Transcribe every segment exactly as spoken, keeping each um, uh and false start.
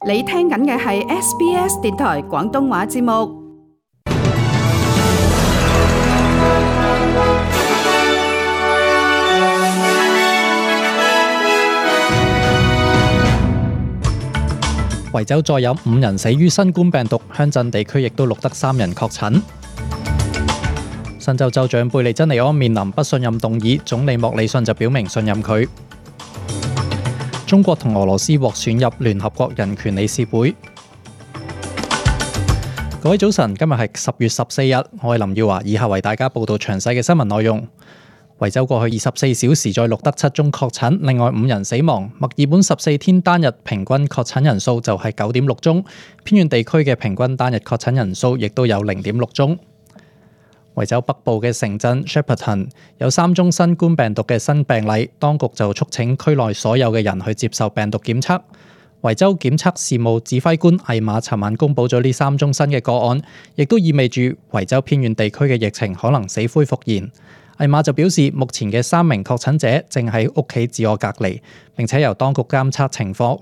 你聽緊嘅係 S B S 電台廣東話節目。維州再有五人死於新冠病毒，鄉鎮地區亦都錄得三人確診。新州州長貝利珍尼安面臨不信任動議，總理莫里遜就表明信任佢。中國同俄羅斯獲選入聯合國人權理事會。各位早晨，今日係十月十四日，我係林耀華，以下為大家報道詳細嘅新聞內容。維州過去二十四小時再錄得七宗確診，另外五人死亡。墨爾本十四天單日平均確診人數就係九點六宗，偏遠地區嘅平均單日確診人數亦都有零點六宗。維州北部嘅城鎮 Shepparton 有三宗新冠病毒嘅新病例，當局就促請區內所有嘅人去接受病毒檢測。維州檢測事務指揮官艾瑪尋晚公佈咗呢三宗新嘅個案，亦都意味住維州偏遠地區嘅疫情可能死灰復燃。艾瑪就表示，目前嘅三名確診者正喺屋企自我隔離，並且由當局監測情況。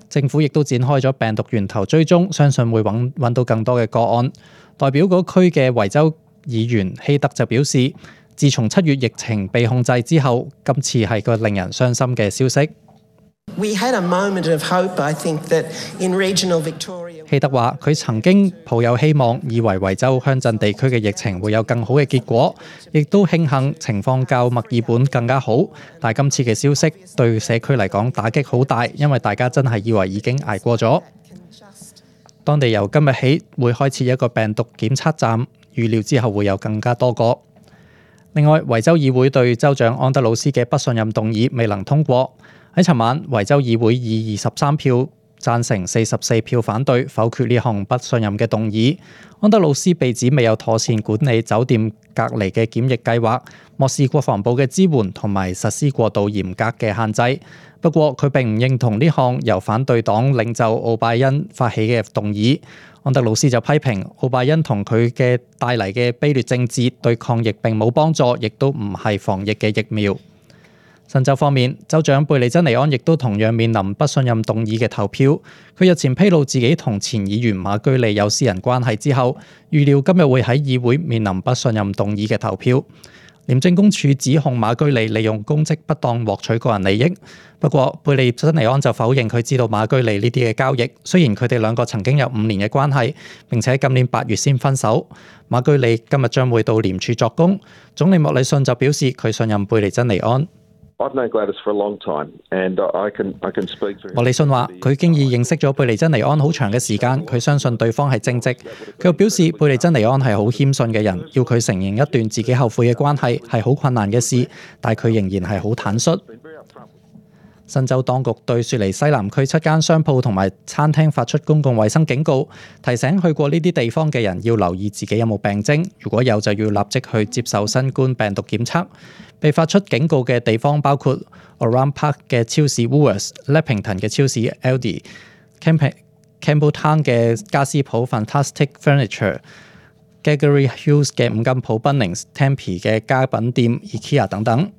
政府亦都展開咗病毒源頭追蹤，相信會揾揾到更多嘅個案。代表嗰區嘅維州議員希德就表示，自從七月疫情被控制之後，今次係個令人傷心嘅消息。We had a moment of hope, I think, that in regional Victoria. 希德話：佢曾經抱有希望，以為維州鄉鎮地區嘅疫情會有更好嘅結果，亦都慶幸情況較墨爾本更加好。但係今次嘅消息對社區嚟講打擊好大，因為大家真係以為已經捱過咗。當地由今日起會開設一個病毒檢測站，預料之後會有更加多個。另外，維州議會對州長安德魯斯嘅不信任動議未能通過。喺尋晚，維州議會以二十三票贊成、四十四票反對否決呢項不信任嘅動議。安德魯斯被指未有妥善管理酒店隔離嘅檢疫計劃，漠視國防部嘅支援同埋實施過度嚴格嘅限制。不過，佢並唔認同呢項由反對黨領袖奧拜恩發起嘅動議。安德魯斯就批評奧拜恩同佢嘅帶嚟嘅卑劣政治對抗疫並冇幫助，亦都唔係防疫嘅疫苗。新州方面，州長貝利珍尼安亦都同樣面臨不信任動議嘅投票。佢日前披露自己同前議員馬居利有私人關係之後，預料今日會喺議會面臨不信任動議嘅投票。廉政公署指控馬居利利用公職不當獲取個人利益，不過貝利珍尼安就否認佢知道馬居利呢啲嘅交易。雖然佢哋兩個曾經有五年嘅關係，並且今年八月先分手。馬居利今日將會到廉署作供。總理莫里遜就表示佢信任貝利珍尼安。莫里遜話：佢經已認識咗貝利珍尼安好長嘅時間，佢相信對方係正直。佢又表示貝利珍尼安係好謙遜嘅人，要佢承認一段自己後悔嘅關係係好困難嘅事，但佢仍然係好坦率。新州當局對雪梨西南區七間商鋪同埋餐廳發出公共衛生警告，提醒去過呢啲地方嘅人要留意自己有冇病徵，如果有就要立即去接受新冠病毒檢測。被發出警告嘅地方包括 Oran Park 嘅超市 Woolworths、Leppington 嘅超市 Aldi、Campbelltown 嘅家私鋪 Fantastic Furniture、Gregory Hills 嘅五金鋪 Bunnings、Tempe 嘅家品店 IKEA 等等。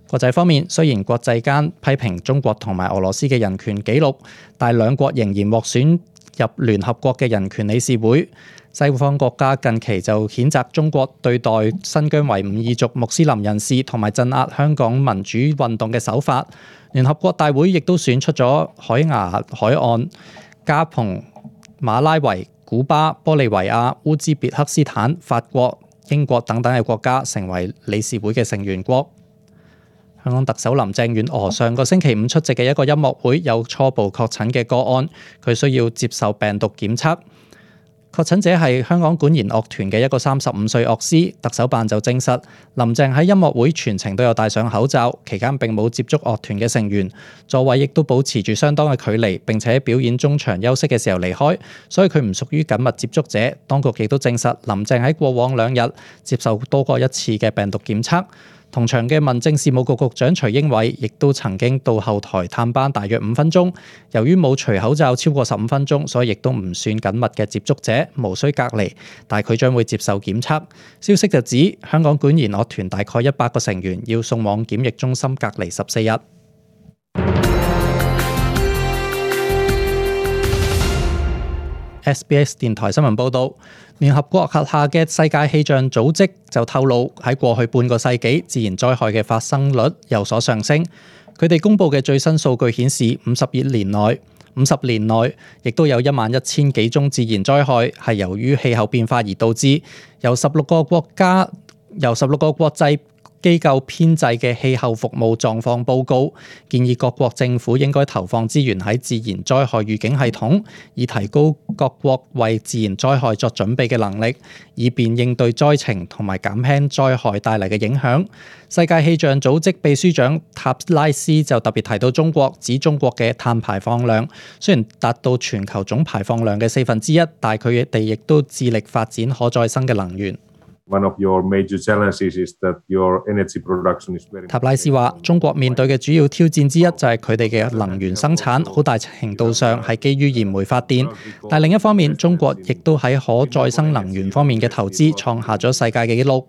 國際方面，雖然國際間批評中國同埋俄羅斯嘅人權紀錄，但兩國仍然獲選入聯合國嘅人權理事會。西方國家近期就譴責中國對待新疆維吾爾族穆斯林人士同埋鎮壓香港民主運動嘅手法。聯合國大會亦都選出咗海牙海岸、加蓬、馬拉維、古巴、玻利維亞、烏茲別克斯坦、法國、英國等等嘅國家成為理事會嘅成員國。香港特首林鄭月娥上個星期五出席嘅一個音樂會有初步確診嘅個案，佢需要接受病毒檢測。確診者係香港管弦樂團嘅一個三十五歲樂師。特首辦就證實，林鄭喺音樂會全程都有戴上口罩，期間並冇接觸樂團嘅成員，座位亦都保持住相當嘅距離，並且喺表演中場休息嘅時候離開，所以佢唔屬於緊密接觸者。當局亦都證實，林鄭喺過往兩日接受多過一次嘅病毒檢測。同場嘅民政事務局局長徐英偉亦都曾經到後台探班大約五分鐘，由於冇除口罩超過十五分鐘，所以亦都唔算緊密嘅接觸者，無需隔離，但佢將會接受檢測。消息就指香港管弦樂團大概一百個成員要送往檢疫中心隔離十四日。S B S 電台新聞報導，聯合國轄下嘅世界氣象組織就透露，喺過去半個世紀，自然災害嘅發生率有所上升。佢哋公佈嘅最新數據顯示，五十二年內，五十年內亦都有一萬一千幾宗自然災害係由於氣候變化而導致。由十六個國家，由十六個國際機構編製嘅氣候服務狀況報告，建議各國政府應該投放資源喺自然災害預警系統，以提高各國為自然災害作準備嘅能力，以便應對災情同埋減輕災害帶嚟嘅影響。世界氣象組織秘書長塔拉斯就特別提到中國，指中國嘅碳排放量雖然達到全球總排放量嘅四分之一，但佢哋亦都致力發展可再生嘅能源。One of your major challenges is that your energy production is very... 塔拉斯話：中國面對嘅主要挑戰之一就係佢哋嘅能源生產，好大程度上係基於燃煤發電。但另一方面，中國亦都喺可再生能源方面嘅投資創下咗世界嘅紀錄。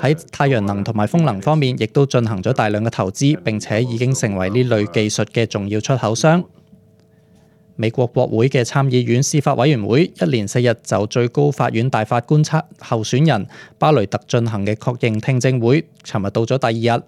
喺太陽能同埋風能方面，亦都進行咗大量嘅投資，並且已經成為呢類技術嘅重要出口商。美國國會嘅參議院司法委員會一連四日就最高法院大法官候選人巴雷特進行嘅確認聽證會，尋日到咗第二日。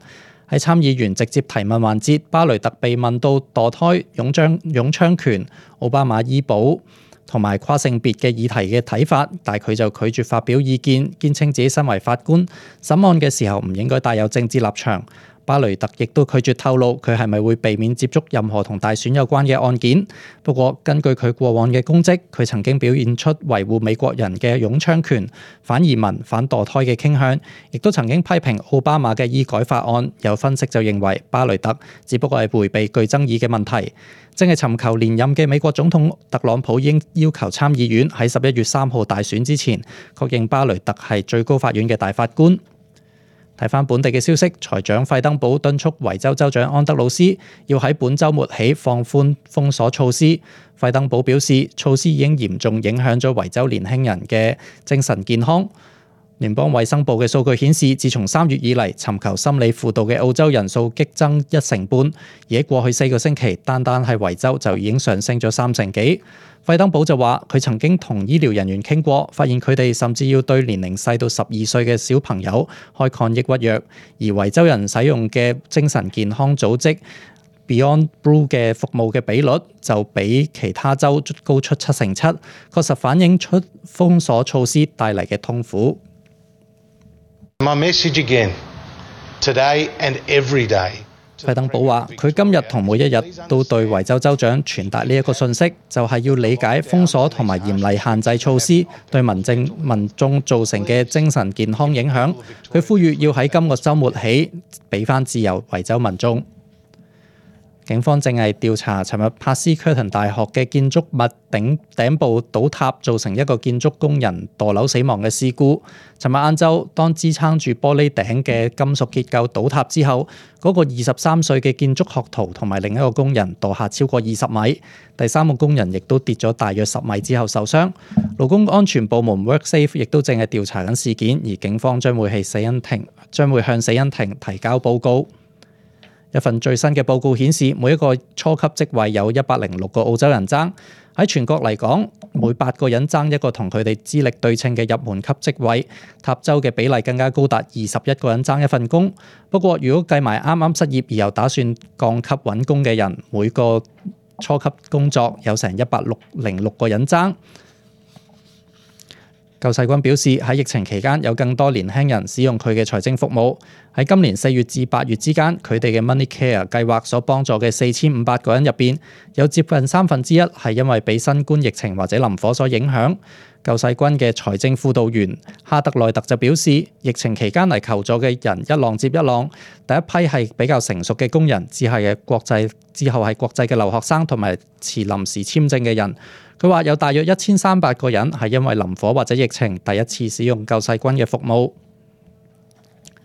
喺參議員直接提問環節，巴雷特被問到墮胎、擁槍、擁槍權、奧巴馬醫保同埋跨性別嘅議題嘅睇法，但佢就拒絕發表意見，堅稱自己身為法官，審案嘅時候唔應該帶有政治立場。巴雷特亦都拒絕透露佢係咪會避免接觸任何同大選有關嘅案件。不過根據佢過往嘅功績，佢曾經表現出維護美國人嘅擁槍權、反移民、反墮胎嘅傾向，亦都曾經批評奧巴馬嘅醫改法案。有分析就認為巴雷特只不過係迴避具爭議嘅問題。正係尋求連任嘅美國總統特朗普應要求參議院喺十一月三號大選之前確認巴雷特係最高法院嘅大法官。睇返本地嘅消息，財長費登堡敦促維州州長安德魯斯要喺本週末起放寬封鎖措施。費登堡表示，措施已經嚴重影響咗維州年輕人嘅精神健康。聯邦衛生部嘅數據顯示，自從三月以嚟，尋求心理輔導嘅澳洲人數激增一成半，而喺過去四個星期，單單係維州就已經上升咗三成幾。費登堡就話，佢曾經同醫療人員傾過，發現佢哋甚至要對年齡細到十二歲嘅小朋友開抗抑鬱藥，而維州人使用嘅精神健康組織 Beyond Blue 嘅服務嘅比率就比其他州高出七成七，確實反映出封鎖措施帶嚟嘅痛苦。My message again, today and every day. 費登堡話：佢今日同每一日都對維州州長傳達呢一個訊息，就係要理解封鎖同埋嚴厲限制措施對民政民眾造成嘅精神健康影響。佢呼籲要喺今個週末起俾翻自由維州民眾。警方正係調查尋日帕斯屈頓大學嘅建築物頂頂部倒塌，造成一個建築工人墮樓死亡嘅事故。尋日晏晝，當支撐住玻璃頂嘅金屬結構倒塌之後，嗰、那個二十三歲嘅建築學徒同埋另一個工人墮下超過二十米，第三個工人亦都跌咗大約十米之後受傷。勞工安全部門 WorkSafe 亦都正係調查緊事件，而警方將會係死因庭將會向死因庭提交報告。一份最新嘅報告顯示，每一個初級職位有一百零六個澳洲人爭。喺全國嚟講，每八個人爭一個同佢哋資歷對稱嘅入門級職位。塔州嘅比例更加高達二十一個人爭一份工。不過，如果計埋啱啱失業而又打算降級揾工嘅人，每個初級工作有成一百零六個人爭。救世軍表示，喺疫情期間有更多年輕人使用佢嘅財政服務。喺今年四月至八月之間，佢哋嘅 Money Care 計劃所幫助嘅四千五百個人入邊，有接近三分之一係因為被新冠疫情或者林火所影響。救世軍嘅財政輔導員哈德內特就表示，疫情期間嚟求助嘅人一浪接一浪，第一批係比較成熟嘅工人，之後係國際之後係國際嘅留學生同埋持臨時簽證嘅人。佢話有大約一千三百個人係因為林火或者疫情第一次使用救世軍嘅服務。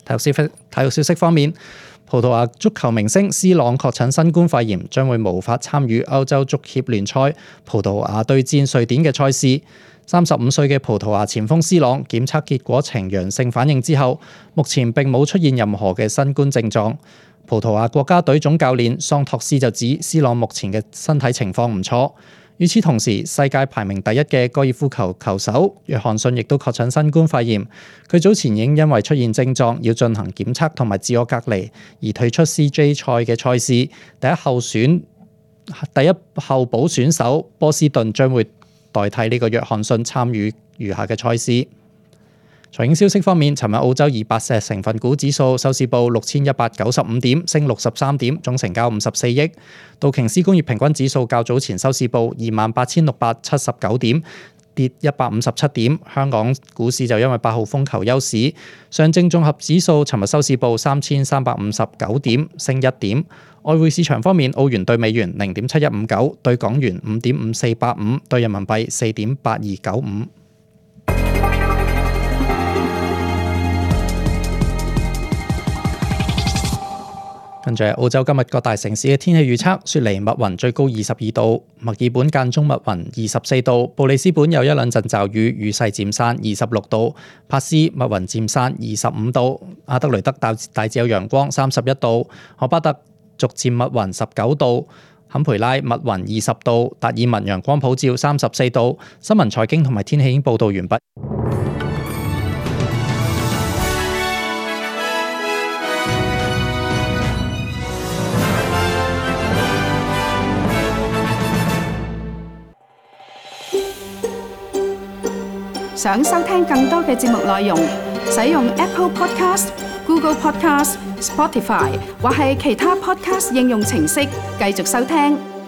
體育消息，體育消息方面，葡萄牙足球明星 C 朗確診新冠肺炎，將會無法參與歐洲足協聯賽葡萄牙對戰瑞典嘅賽事。三十五歲嘅葡萄牙前鋒 C 朗檢測結果呈陽性反應之後，目前並冇出現任何嘅新冠症狀。葡萄牙國家隊總教練桑托斯就指 C 朗目前嘅身體情況唔錯。與此同時，世界排名第一嘅高爾夫球球手約翰遜亦都確診新冠肺炎。佢早前已經因為出現症狀，要進行檢測同埋自我隔離，而退出 C J 賽嘅賽事。第一候選第一候補選手波斯頓將會代替呢個約翰遜參與餘下嘅賽事。財經消息方面，尋日澳洲二百隻成分股指數收市報六千一百九十五點，升六十三點，總成交五十四億。道瓊斯工業平均指數較早前收市報二萬八千六百七十九點，跌一百五十七點。香港股市就因為八號風球休市。上證綜合指數尋日收市報三千三百五十九點，升一點。外匯市場方面，澳元對美元零點七一五九，對港元五點五四八五，對人民幣四點八二九五。跟住澳洲今日各大城市嘅天氣預測：雪梨密雲最高二十二度，墨爾本間中密雲二十四度，布里斯本有一兩陣驟雨，雨勢漸散二十六度，珀斯密雲漸散二十五度，阿德雷德大大致有陽光三十一度，荷巴特逐漸密雲十九度，坎培拉密雲二十度，達爾文陽光普照三十四度。新聞財經同埋天氣已經報導完畢。想收聽更多嘅節目內容，使用 Apple Podcast、Google Podcast、Spotify 或係其他 Podcast 應用程式繼續收聽。